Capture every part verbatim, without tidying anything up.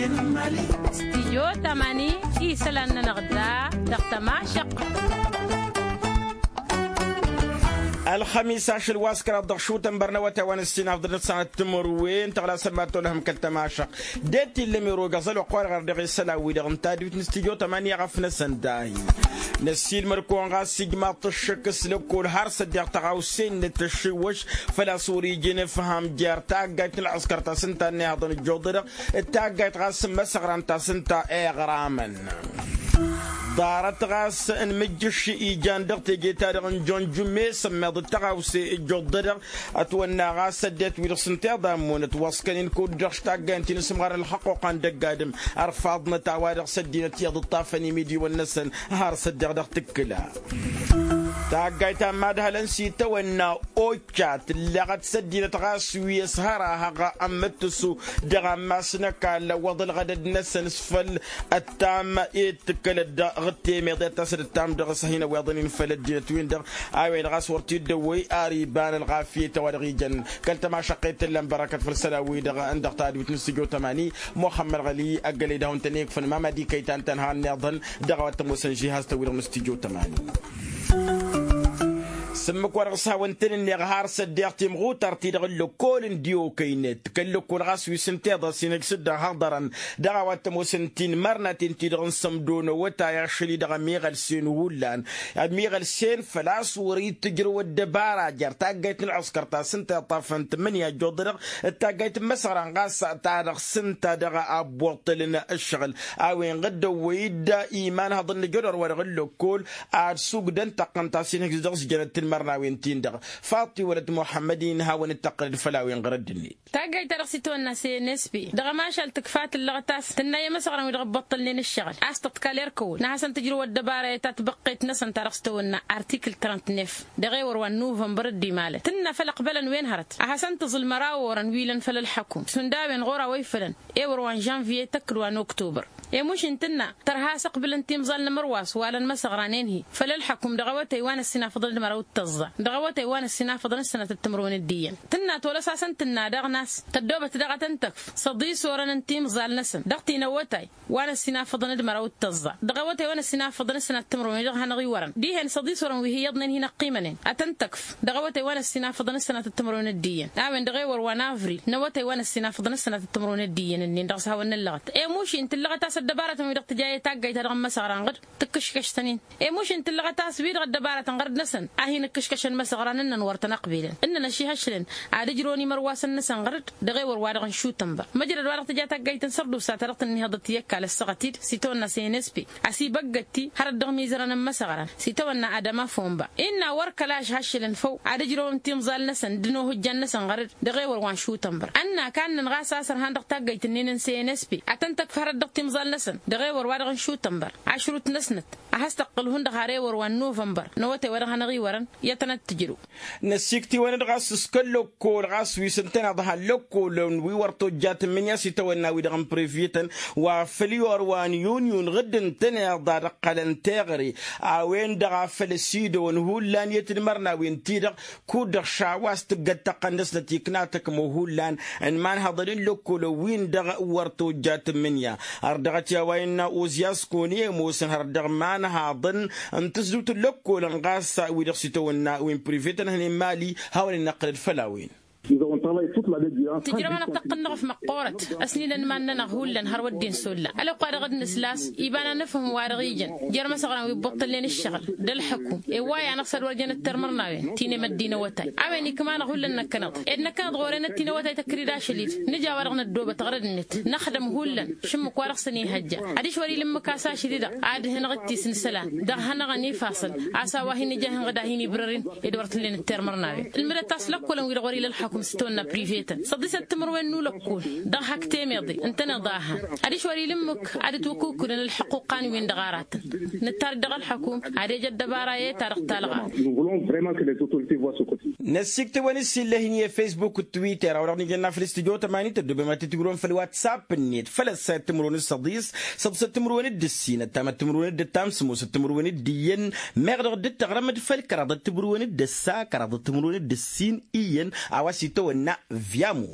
Stijyo tamani isălan-nănăɣ da dăɣ-tămašăq. Ălxămis ašăl wa s-kăraḍ dăɣ-šutăn bărnăwăt a-wa n-ǝssin afḍăl n-ăssanăt timǝrwen tăɣlasăn ma t-olăhăm kăl-tămašăq. D-e t-illăm erogăẓ ălwăqq-wa-dăɣ ar dăɣ-e s-ălawwi-dăɣ n-tadwit n-stijyo tamani a ɣăf-năsăn dahi. Năssiilmăr-kăwăn ɣas ijmaḍ-t ǝššǝk s-lăkkol har s-ăddiɣ tăɣawse-net tăššiwwăš. Făl-a-s wăr-ija inǝfham jer-taggayt n-ălɣǝskăr ta s-ǝnta ănnihaḍăn ǝjjuḍădăɣ d-taggayt ɣas n-imăsăɣran ta s-ǝnta iɣramăn. Ḍarăt ɣas n-imǝjjǝš ijan dăɣ-teje-ta-dăɣ n-jonjume s-ămmiḍăt tăɣawse ǝjjuḍădăɣ. Ătwănna ɣas ăddinăt-wi-dăɣ s-ǝnta iḍa ămmunăt wăẓkăn-in kud-dăɣ s-taggayt n-ti n-asǝmɣar n-ălxăqquqa n-dăgg-adǝm. Ărfaḍnăt a-wa-dăɣ s-ăddinăt iyyăḍ ǝṭṭafăn imidiwăn-năsăn har s-ăddiɣ dăɣ-tǝkkǝla. Taggayt ta n-imadhălăn s-itawănna occa tǝllăɣăt s-ăddinăt ɣas wi ăshărahăɣ ămmǝttǝsu dăɣ-ammas n-ăkall ăwwăḍ ălɣădăd-năsăn s-făll-ăttam i-dd-tǝkkălăt dăɣ-ăttemeḍ i-ad-tasăd ăttam dăɣ-s a hin-ăwweḍăn-in făll-ăddinăt-win-dăɣ. A-wen-dăɣ a-s wăr t-dd-ăwwăy ar iba n-ălɣafyăt a-wa-dăɣ ijăn kăl-tămašăqqet tǝllan bărăkăt făll-sălan-wi-dăɣ n-dăɣ-tadwit n-studyo tămani. Muxămmăd ɣăli ăggălăy d-ahun-tăn-ikfăn mamad ikăy ta ǝnta ănhăɣ ǝnniḍăn dăɣ-a-wa t-ămoosăn žihaz-tăn-wi-dăɣ n-studyo tămani. S-ǝmmǝk wa dăɣ-s hawăn-tăn-ǝnneɣ har s-ăddiɣ timɣutart-ti-dăɣ n-lăkkol n-diwokăynet kăl-lăkkol ɣas wi s-ǝnta iḍa s-inhǝj s-dd-ănhăɣ ḍărăn dăɣ-a-wa t-ămoosăn tinmărnaten-ti-dăɣ n-sămdo n-awătay ašăl-i-dăɣ ămiɣălsen hullan. Ămiɣălsen făl-a-s wăr-itǝjrăw ăddăbara jer-taggayt n-ălɣǝskăr ta s-ǝnta iṭṭafăn tǝmmǝnǝya ăjjuḍădăɣ d-taggayt n-imăsăɣran ɣas ta dăɣ-s ǝnta dăɣ-abbuṭṭăl n-ǝššăɣǝl. A-wen ɣǝddăwwăy-dd imanhăḍăn n-ajădor-wa-dăɣ n-lăkkol ad-sugdăn tăqqăn ta s-inhǝjǝs dăɣ-s jănăt tinmărnawen-tin-dăɣ. Faṭṭi wălăt muḥămmăd-in hawăn-dd-tăqqǝlăd făll-a-wen ɣărădd-net. Taggayt-ta-dăɣ s-itawănna s-e n s p dăɣ-ămašal tǝkfa tǝllăɣăt a-s tǝnna i-imăsăɣran-wi-dăɣ ǝbbăṭṭălnen ǝššăɣǝl a-s tăḍkal erkăwăl n-ad-hasăn-tǝjrǝw ăddăbara i-ta tibăqqet-năsăn ta dăɣ-s tawănna artikǝl trănt-nef. Dăɣ-ewăr wa n-nuvănbăr dd-imalăn tǝnna făl ăqbălăn wen hărăt ad-hasăn-tǝẓǝl măraw orăn wi lăn făll-ălḥăkum šund a-wen ɣur-a-wa ifălăn ewăr wa n-žănviye tăkk d-wa n-oktobăr. I-muš ǝnta ǝnna tărha a-s ăqbǝlăn timẓal n-amărwas wa lăn imăsăɣranen-hi făll-ălḥăkum dăɣ-awătay wa n-ăssinafăḍăn d-măraw d-tăẓẓa dăɣ-awătay wa n-ăssinafăḍăn s-sănatăt timǝrwen d-iyyăn. Tǝnna tolăs-asăn tǝnna daɣ n-a-s tăddobăt daɣ ad-tăn-tăkf săḍis orăn n-timẓal-năsăn dăɣ-ti n-awătay wa n-ăssinafăḍăn d-măraw d-tăẓẓa dăɣ-awătay wa n-ăssinafăḍăn s-sănatăt timǝrwen-i-dăɣ hanăɣ-iwărăn dihen săḍis orăn wi hi-iyyăḍnen hin-ăqqimănen ad-tăn-tăkf dăɣ-awătay wa n-ăssinafăḍăn s-sănatăt timǝrwen d-iyyăn. A-wen-dăɣ ewăr wa n-avril n-awătay wa n-ăssinafăḍăn s-sănatăt timǝrwen d-iyyăn-nin-dăɣ s-hawăn-năllăɣăt. Emuš-i n-tǝllăɣăt a-s ăddăbarătăn-wi-dăɣ tǝja i-taggayt-ta-dăɣ n-imăsăɣran ɣǝd tǝkkǝškăš-tăn-in. Emuš-i n-tǝllăɣăt a-s wi-dăɣ ăddăbarătăn ɣărăd-năsăn a hin-ǝkkǝškăšăn imăsăɣran ǝnnăn wăr tăn-ăqbelăn ǝnnăn ăšihăšlăn ad-ǝjrăwăn imărwasăn-năsăn ɣărăd. Dăɣ-ewăr wa dăɣ-n šutănbăr măjrăd wa dăɣ-tǝja taggayt n-sărdusa ta dăɣ-tǝnnihăḍăt i-ăkall ăssaɣăt-dd s-itawănna s-e n s p. Asibăggăt-i hărăt dăɣ-imizărăn n-imăsăɣran s-itawănna adăma fomba innă wăr kăla ašhăššǝlăn făw ad-ǝjrăwăn timẓal-năsăn d-inohǝjjan-năsăn ɣărăd. Dăɣ-ewăr wa n-šutănbăr ănn'-ak annăn ɣas a-s ărhan dăɣ-taggăyt-ǝnnin n-se n s p ad-tăn-tăkf hărăt dăɣ-timẓal-năsăn dăɣ-ewăr wa dăɣ-n šutănbăr ašrut-năsnăt ad-has-tăqqǝl hundăɣ har ewăr wa n-nuvănbăr n-awătay wa dăɣ-hanăɣ-iwărăn. I-ad-tăn-ăttǝjrǝw. Năssiiktǝwăn-dd ɣas s-kăl-lăkkol ɣas wi s-ǝntăneḍ ha n-lăkkolăn wi wăr tojjat n-imǝnya s-itawănna wi-dăɣ n-privyetăn wa făl i-orwa n-inyun ɣǝdd ǝntăneḍ ad-ǝqqălăn teɣăre. A-wen-dăɣ a făl ăsidăwăn hullan i-tinmărnawen-ti-dăɣ kud-dăɣ šawa a-s tǝggăd tăqqăn dăr-snăt ikna tăkmo hullan n-imanhăḍăn n-lăkkolăn-win-dăɣ wăr tojjat n-imǝnya. Har dăɣ-t i-a-wa innă ozyas kăwăn-i ămoosăn har dăɣ-imanhăḍăn n-tǝsdǝwt n-lăkkolăn ɣas wi-dăɣ s-itawănna wi n-privetăn hănen mali. Hawăn-in-năqqǝlăd făll-a-wen. Tǝjrăwăn ăṭṭăqqăn-năɣ f-măqqoorăt ăsnilăn iman-nănăɣ hullan har wădden s-olla ălwăqq-wa-dăɣ d-nǝsla a-s iba n-anǝfhǝm wa dăɣ-ijăn jer-imăsăɣran wi ǝbbăṭṭălnen ǝššăɣǝl d-ălḥăkum. Ewway-anăɣ s-ad-wăr jănăt termărnawen ti n-emăddi n-awătay a-wen ikma-năɣ hullan năkkăneḍ ed năkkăneḍ ɣur-enăt ti n-awătay tăkrid ašăl-dd nǝja a-wa-dăɣ năddoobăt ɣărăd-net năxdăm hullan šǝmmǝk wa dăɣ-săn ihăjja. Adiš wăr-ila ǝmmǝk a-s ašăl-i-dăɣ ad-hǝnăɣ d-tisnǝsălan dăɣ-hanăɣ-ănifasăl a-s a-wa hin-ija ihǝnɣǝd a hin-ibrăr-in. Ed wăr t-ǝllen d-termărnawen ǝlmǝdăt a-s lăkkolăn-wi-dăɣ wăr-ila ălxăkum s-tawănna privetăn săḍisăt timǝrwen n-ulăkkol dăɣ-hak temeḍe ǝntăneḍ a-hăn. Adiš wăr-ila ǝmmǝk ad-ǝtwăkukǝlăn ălḥăqquqan-win-dăɣ aratăn nǝttar-dd dăɣ-ălxăkum ad-ej ăddăbara i-ta-dăɣ talɣa. Năssiktăwăn-dd s-illăh-in i-fesbuk d-twitter a-wa dăɣ-nǝjănna făll-studyo tămani tăddobem ad-t-tǝjrǝwăn făll-whatsapp-net făll-ăssayăt timǝrwen d-săḍis săḍisăt timǝrwen d-ǝssin ăttamăt timǝrwen d-ǝttam sămoosăt timǝrwen d-iyyăn. Meɣ dăɣ-dd-tăɣrăm d-făll-kăraḍăt timǝrwen d-ǝssa kăraḍăt timǝrwen d-ǝssin iyyăn. A-wa s-itawănna vyamo.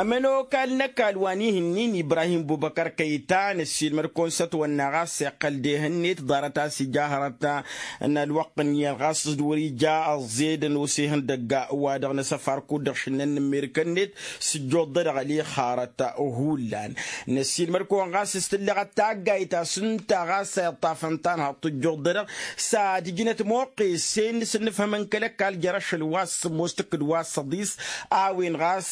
Ămănokal n-ăkall wa n-ihǝnnin ibrahim bubăkăr kăyta năssiilmăd-kăwăn s-ătwănna ɣas iqqăl d-ehănnet ḍarăt a-s ija hărăt n-ălwăqq n-iyyăn ɣas d-wăr-ija ăẓẓedăn osehăn dăgg-a-wa-dăɣ n-asăfar kud-dăɣ šǝnnăn n-amerika-net. S-ǝjjuḍ-dăɣ ălixarăt hullan năssiilmăd-kăwăn ɣas s-tǝlleɣăt taggayt ta s-ǝnta ɣas a iṭṭafăn tanhăḍt ǝjjuḍ-dăɣ s-ad-ǝjnăt muqqesen s-ǝnnǝfhămăn kăl-ăkall jer-ašăl wa s-sǝmmos tǝkkǝd wa s-săḍis a-wen ɣas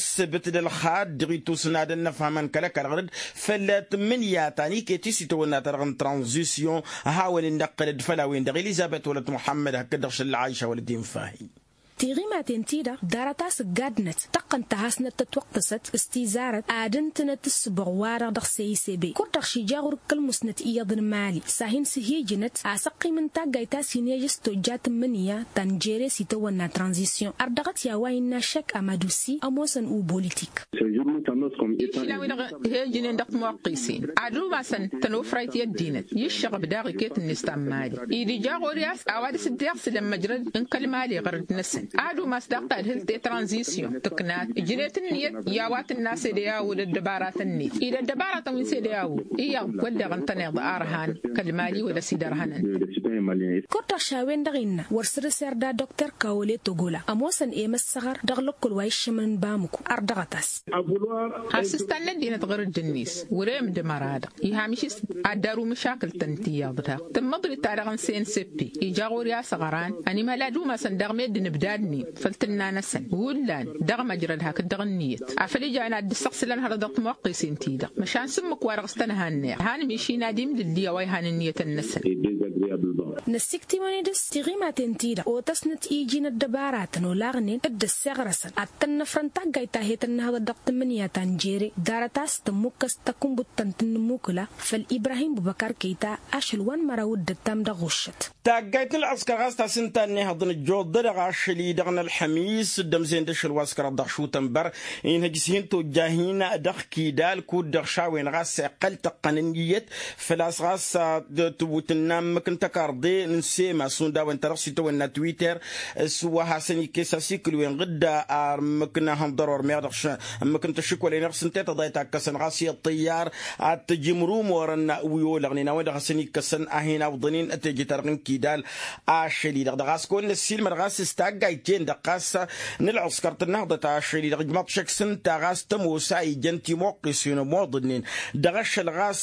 s-sǝbǝt d-ălxad dăɣ-itusna d-ănnăfhămăn kăl-ăkall ɣărăd făll-tǝmmǝnǝya ta n-iket isităwănna-ta-dăɣ n-tranzisyon. Hawăn-dd-năqqălăd făll-a-wen-dăɣ elizăbet wălăt muḥămmăd hakd-dăɣ šăl lăɣayša wălăt infahi. Tiɣimaten-ti-dăɣ ḍarăt a-s ǝggadnăt tăqqăn-t ad-hasnăt tătwăqqǝsăt s-tizarăt ad-ǝntǝnăt ǝssǝboɣ-wa-dăɣ dăɣ-seyisebe kud-dăɣ šija ɣur-k kăl-musnăt iyyăḍ n-imali s-ad-hin-sǝhijǝnăt asăqqim n-taggayt ta s-inejăs tojja tǝmmǝnǝya ta n-jere s-itawănna tranzisyon ărdăɣăt i-a-wa innă aššăk amădusi ămoosăn ubulitik. Išlan wi-dăɣ hejnen dăɣ-timoqqisen ad-umasăn tănofrayt i-ăddinăt i-ǝššăɣăb daɣ iket-net ta n-imali. Id-ija ɣur-i a-s a-wa dăr-s dd-iɣsǝlăn măjrăd n-kăl-mali ɣărăd-năsăn ad-umas daɣ tadhǝlt i-tranzisyon tǝknat ǝjnet ǝnniyăt i-a-wa tǝnna sedeyawo d-ăddăbaratăn-net id-ăddăbaratăn wi n-sedeyawo. Iyyăḍ wădden ǝntăneḍ arhan kăl-mali wăla s-idărhănăn. Kud-dăɣ š-a-wen-dăɣ innă wăr săr-s irda dokter kawole togola ămoosăn i-măssăɣăr dăɣ-lăkkol wa iššămăn n-bamǝku ardăɣăt-as. Has-ǝstan n-ăddinăt ɣur-dd-net wăr-e ǝmdǝmăr-a-dăɣ ihamiš-s ad-dd-aru măšakǝl-tăn ti iyyăḍ daɣ tǝmmăḍrit-ta-dăɣ n-senseppe ija ɣur-i a-s ăɣran ănimhăl ad-umasăn daɣ meddǝn ǝbdadnen făll-tǝnna-năsăn hullan dăɣ-măjrăd hakd-dăɣ ǝnniyăt afăl ijan ad-dd-ǝssăɣsǝlăn hărăt dăɣ-timwăqqesen-ti-dăɣ măšan s-ǝmmǝk-wa-dăɣ s-tănha ǝnneɣ hanǝm-išin ad-imdǝlli a-wa ihan ǝnniyătăn-năsăn. Năssiktǝmăn-dd s-tiɣimaten-ti-dăɣ otăsnăt iji n-ăddăbaratăn olaɣnen d-ăsseɣrăsăn ad-tăn-năfrăn taggayt ta het-ănnăhăḍăt dăɣ-tǝmmǝnǝya ta n-jere ḍarăt a-s tămmukkăs takǝnbuttăn tǝnnǝmmukǝla făll-ibrahim bubăkar kăyta ašăl wa n-măraw d-ǝttam dăɣ-ɣuššăt. Taggayt n-ălɣǝskăr ɣas ta s-ǝnta ănnihăḍ n-ăjjuḍ-dăɣ ašăl-i-dăɣ n-ălxămis d-ămzen d-ašăl wa s-kăraḍ dăɣ-šutănbăr inhăj s-hin-tojja hin-dăɣ kidal kud-dăɣ šawen ɣas iqqăl tăqqăn ǝnniyăt făl-a-s ɣas tǝnnă ǝmmǝk n-tăkarḍe n-sema s-undawăn-ta-dăɣ s-itawănna twitter s-wa hasăn-ikkes asikǝl-wen ɣǝdda ar ǝmmǝk n-ahănḍăr wăr meɣ dăɣ-ǝmmǝk n-tăššǝkwălen iɣsǝn tetăḍayt a ǝkkăsăn ɣas i-ăṭṭăyyar ad-t-ǝjǝmrumorăn wi olăɣnen a-wen-dăɣ hasăn-ikkăsăn a hin-awḍănen tejăt-ta-dăɣ n-kidal. Ašăl-i-dăɣ dăɣ-a-s kăwăn-năssiilmăd ɣas s-taggayt-ten-dăɣ ɣas n-ălɣǝskăr tǝnnăhḍăt ašăl-i-dăɣ ǝjmăḍ šăkk s-ǝnta ɣas tămoos a ijăn timwăqqisen ămoḍănnen dăɣ-ašăl ɣas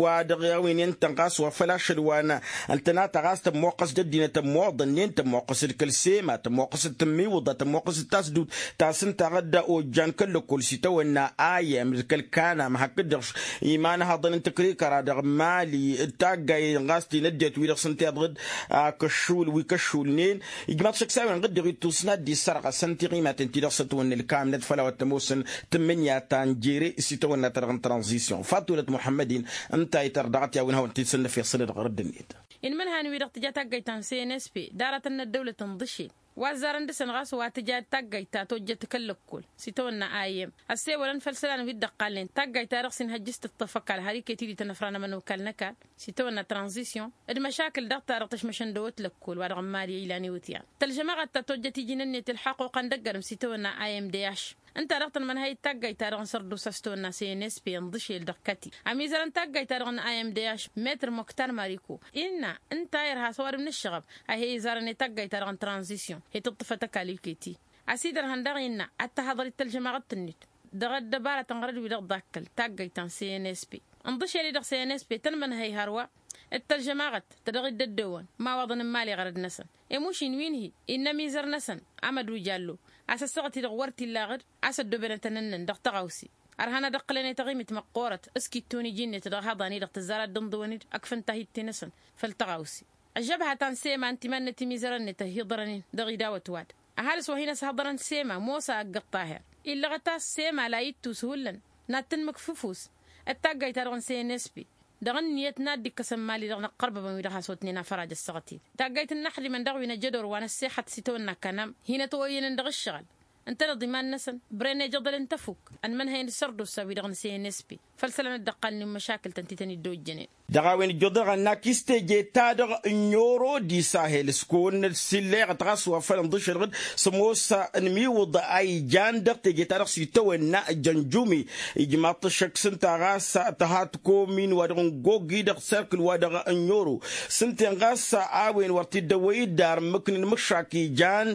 wa dăɣ-a-wen i-ǝntăn ɣas wa făl ašăl wa n-ăltănata ɣas tămmoqqăs d-ăddinăt ămoḍănnen tămmoqqăs d-kăl-sema tămmoqqăs d-tǝmmiwǝḍa tămmoqqăs d-tasdut ta s-ǝnta ɣǝdda ojjan kăl-lăkkol s-itawănna ayem d-kăl-kanam hakd-dăɣ imanhăḍăn n-tǝkrikăra dăɣ-mali d-taggayen ɣas ti n-ăddinăt wi-dăɣ s-ǝnta iḍɣǝd. Akăššul wi kăššulnen ijmaḍ šăkk s-a-wen ɣǝddeɣ ittusna dd-issărɣăsăn tiɣimaten-ti-dăɣ s-ătwănna ǝlkamnăt făll-a-wa t-ămoosăn tǝmmǝnǝya ta n-jere s-itawănna-ta-dăɣ n-tranzisyon fatulăt muḥămmăd-in. Ǝnta itărdăɣăt i-a-wen hawăn-t-dd-sănnăfeɣ sănădăɣ ɣăr dd-net. Inmǝnhan-wi-dăɣ tǝja taggayt ta n-cnsp d-aratăn n-ăddăwlăt ǝnḍǝšel wa ăzzarăn dăɣ-săn ɣas wa tǝja taggayt ta tojjăt kăl-lăkkol s-itawănna ayyăm ăssewălăn făll-isălan wi dd-ăqqalnen taggayt-ta-dăɣ s-inhăjj s-tǝṭṭăf ăkall har iket-dd-tănăfra n-ămănokal n-ăkall s-itawănna tranzisyon d-mašakǝl daɣ-ta-dăɣ tăšmăšăn d-ewăt lăkkol wa dăɣ-n mali ilan iwǝtyan tălžămaɣăt ta tojjăt iji n-ǝnnet ǝlḥăqquqăn dăgg-ărǝm s-itawănna ayyăm d-e-ašš. Ǝnta-dăɣ tăn-mănhăy d-taggayt-ta-dăɣ n-sărdusa s-tawănna cnsp ǝnḍǝšel dăɣ-kăti ămizărăn taggayt-ta-dăɣ n-ayyăm d-e-ašš metr moktar mariko innă ǝnta a irha s-ăwadǝm n-ǝššăɣăb a he-izarăn i-taggayt-ta-dăɣ n-tranzisyon he-tǝṭṭǝfăt ăkall iket-i. A-s idărhăn daɣ innă ad-tăhaḍăr d-tălžămaɣăt-net dăɣ-ăddăbarăt n-ɣărăd-wi-dăɣ ḍakkăl taggayt ta n-cnsp ǝnḍǝšel-i-dăɣ cnsp tăn-mănhăy hărwa d-tălžămaɣăt ta dăɣ-dd-ăddewăn imawaḍăn n-imali ɣărăd-năsăn. Emušin wi n-hi-innă ămizăr-năsăn amădu jallo a-s ăssaɣăt-i-dăɣ wăr t-illa aɣǝd a-s ăddoobenătăn ǝnnăn dăɣ-tăɣawse. Ărhan ad-ǝqqǝlăn i-taɣimit măqqoorăt s-kitton iji-net dăɣ-ehăḍan-i-dăɣ tǝzzar ad-dd-ǝnḍǝwăn-dd ăkfăn tahit-ti-năsăn făll-tăɣawse. Ăžžăbha ta n-sema ǝnta iman-net imizărăn-net ăhiḍărăn-in dăɣ-idawăt-wa-dăɣ ăhalǝs wa hin-ăshăḍărăn sema mosa ăgg-ăṭṭaher. Illăɣăt a-s sema la ittus hullan n-ad-tǝnmǝk f-ǝfus d-taggayt-ta-dăɣ n-cnsp dăɣ-ǝnniyăt n-ad-dd-ikkăsăn mali-dăɣ năqqărbăbăn wi-dăɣ has-otnen afăraj ăssaɣăt-dd. Taggayt n-inăxdimăn daɣ wi n-ejădor wa n-ăssexăt s-itawănna kanam hin-ătwăyyănăn dăɣ-ǝššăɣǝl ǝntăneḍ iman-năsăn bren ejăḍăl n-tăfuk ănmănhăyăn d-sărdusa-wi-dăɣ n-cnsp. Făll-isălan dd-ăqqalnen măšakǝl-tăn ti tăn-dd-ojjănen. Dăɣ-a-wen ǝjjuḍăɣ ănn-ak s-teje-ta-dăɣ n-oro d-isahel s-kăwăn-năt s-illeɣăt ɣas wa făl ǝnḍǝšăl ɣǝd s-ămoos n-imiwǝḍ a ijan dăɣ-teje-ta-dăɣ s-itawănna jănjumi. Ijmaḍ-t ăššăk s-ǝnta ɣas tăha tăkomin wa dăɣ-n gogi dăɣ-serkǝl wa dăɣ-n oro s-ǝnta-en ɣas a-wen wăr t-dd-ăwwăy-dd ar ǝmmǝknăn măššak ijan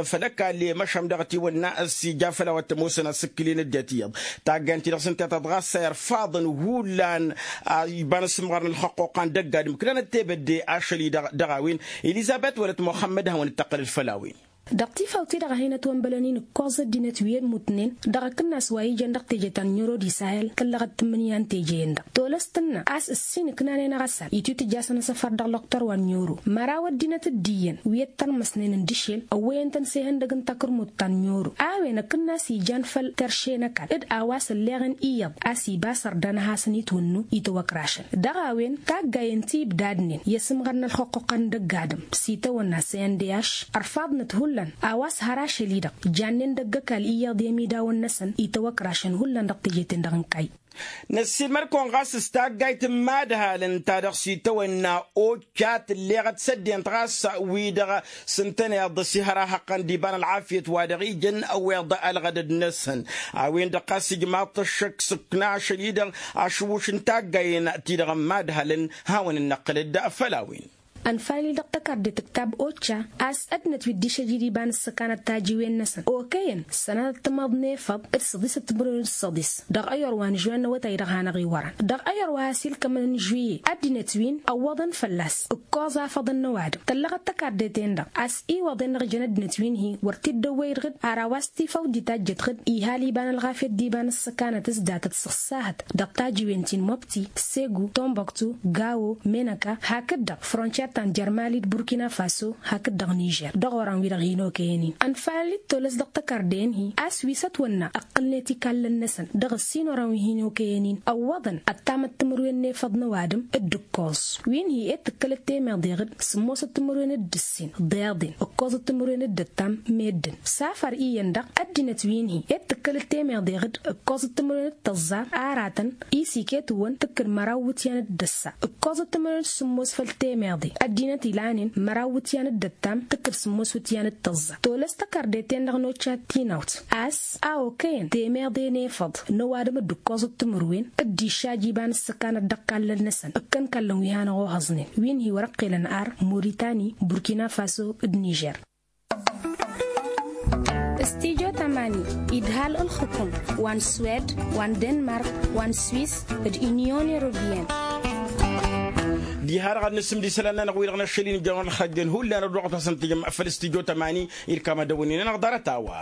făll-ăkall i-măšham dăɣ-ătiwănna s-ija făll-a-wa t-ămoosăn asǝkkǝl-in dd-etiyyăḍ. Taggayăn-ti-dăɣ s-ǝnta i-taḍɣa s-a irfaḍăn hullan a iba n-asǝmɣar n-ălxăqquqa n-dăgg-adǝm ǝknanăt tebădde ašăl-i-dăɣ dăɣ-a-wen. Ilizabet wălăt muxămmăd ad-hawăn-dd-tăqqălăd făll-a-wen. Dăɣ-tifawt-i-dăɣ a hin-ătwănbălăn-in ǝkkoẓ ăddinăt wi ămmutnen dăɣ-akǝnnas wa ijăn dăɣ-teje ta n-oro d-isahel tăllăɣăt tǝmmǝnǝya n-teje-en-dăɣ tolăst tǝnnă a-s ǝssin ǝknanen aɣăsal itwǝtǝjjasăn asăfăr dăɣ-lăqtor wa n-oro. Măraw ăddinăt dd-iyyăn wi ăttărmăsnen ǝndǝšel ăwwăyăn-tăn s-ehăndăg n-takǝrmut ta n-oro. A-wen akǝnnas ijan făll-terše n-ăkall d-a-wa s-ălleɣen iyyăḍ a-s iba s-ărdan ad-hasăn-itwǝnnu itwăkrašăn dăɣ-a-wen taggayen ti ibdadnen i-asǝmɣar n-ălxuqquqa n-dăgg-adǝm s-itawănna s-e n d h. Ărfaḍnăt hullan a-wa s-hăr ašăl-i-dăɣ jannen dăgg-ăkall iyyăḍ i-ămidawăn-năsăn itwăkrašăn hullan dăɣ-teje-ten-dăɣ n-kayy. Năssiilmăd-kăwăn ɣas s-taggayt n-imadhalăn ta dăɣ-s itawănna occa tǝlleɣăt s-ăddinăt ɣas wi-dăɣ s-ǝntăneḍ s-ihărahăqqăn d-iba n-ălɣafyăt wa dăɣ-ijăn ăwweḍ ălɣădăd-năsăn. A-wen-dăɣ ɣas ijmaḍ-t ăššăk s-ǝkna ašăl-i-dăɣ ašǝwwǝš n-taggayen-ti-dăɣ n-imadhalăn. Hawăn-dd-năqqǝlăd făll-a-wen. Ănfalăl-i dăɣ-tăkarde tǝktab occa a-s ăddinăt wi dd-išăjjǝd iba n-ǝssăkanăt tajiwen-năsăn okăyăn sănatăt timăḍ n-efăḍ d-săḍisăt timǝrwen d-săḍis dăɣ-ayăr wa n-žuwen n-awătay-dăɣ hanăɣ-iwărăn. Dăɣ-ayăr wa has-ilkămăn n-žuye ăddinăt wi n-ăwwăḍăn fălla-s ǝkkoẓ afăḍăn n-ăwadǝm tăllăɣăt tăkarde-ten-dăɣ a-s iwăḍen dăɣ-ijăn ăddinăt wi n-hi-wăr t-dd-ăwwăy d-ɣǝd ar a-wa s-tifawt d-itajjăt ɣǝd ihal iba n-ălɣafyăt d-iba n-ǝssăkanăt s-datăt s-ăṣṣahăt dăɣ-tajiwen ti n-mobti, segu, tomboktu, gawo, menăka hakd-dăɣ frontiyer ta n-jărmali d-burkina faso hakd-dăɣ nižer dăɣ-oran-wi-dăɣ hin-okăyăn-in. Ănfalăl-dd tolăs dăɣ-tăkarde n-hi a-s wi s-ătwănna ǝqqǝlnet ikallăn-năsăn dăɣ-ǝssin oran wi hin-okăyăn-in ăwwăḍăn ăttamăt timǝrwen n-efăḍ n-ăwadǝm d-ǝkkoẓ wi n-hi ed tǝkkălăt temeḍe ɣǝd sǝmmosăt timǝrwen d-ǝssin ḍeḍen ǝkkoẓăt timǝrwen d-ăttam meddǝn. S-afăr iyyăn-dăɣ ăddinăt wi n-hi ed tǝkkălăt temeḍe ɣǝd ǝkkoẓăt timǝrwen d-tăẓẓa aratăn isiketǝwăn tǝkkǝd măraw iwǝtyan d-ăssa ǝkkoẓăt timǝrwen d-sǝmmos făll-temeḍe ăddinăt ilanen măraw iwǝtyan d-ăttam tǝkkǝd sǝmmos iwǝtyan d-tăẓẓa. Tolăs tăkardeten-dăɣ n-occa tinawt a-s a okăyăn temeḍe n-efăḍ n-ăwadǝm d-ǝkkoẓăt timǝrwen d-išaj iba n-ǝssăkanăt dăɣ-ikallăn-năsăn ǝkkăn ikallăn wi hanăɣ-ohăẓnen wi n-hi-wăr ǝqqelăn ar muritani burkina faso d-nižer. Stijo tamani idhal ǝlxǝkum wa n-swed wa n-denmark wa n-swis d-inyon europeyăn. Diha-dăɣ ad-nǝsǝmd isălan-nănăɣ wi-dăɣ n-ašăl-in ǝjjănăɣ ălxăjjăn hullan ăddoɣăt-asăn tǝjǝm făll-stijo tamani irkam ad-ăwǝnnin-anăɣ ḍarăt a-wa.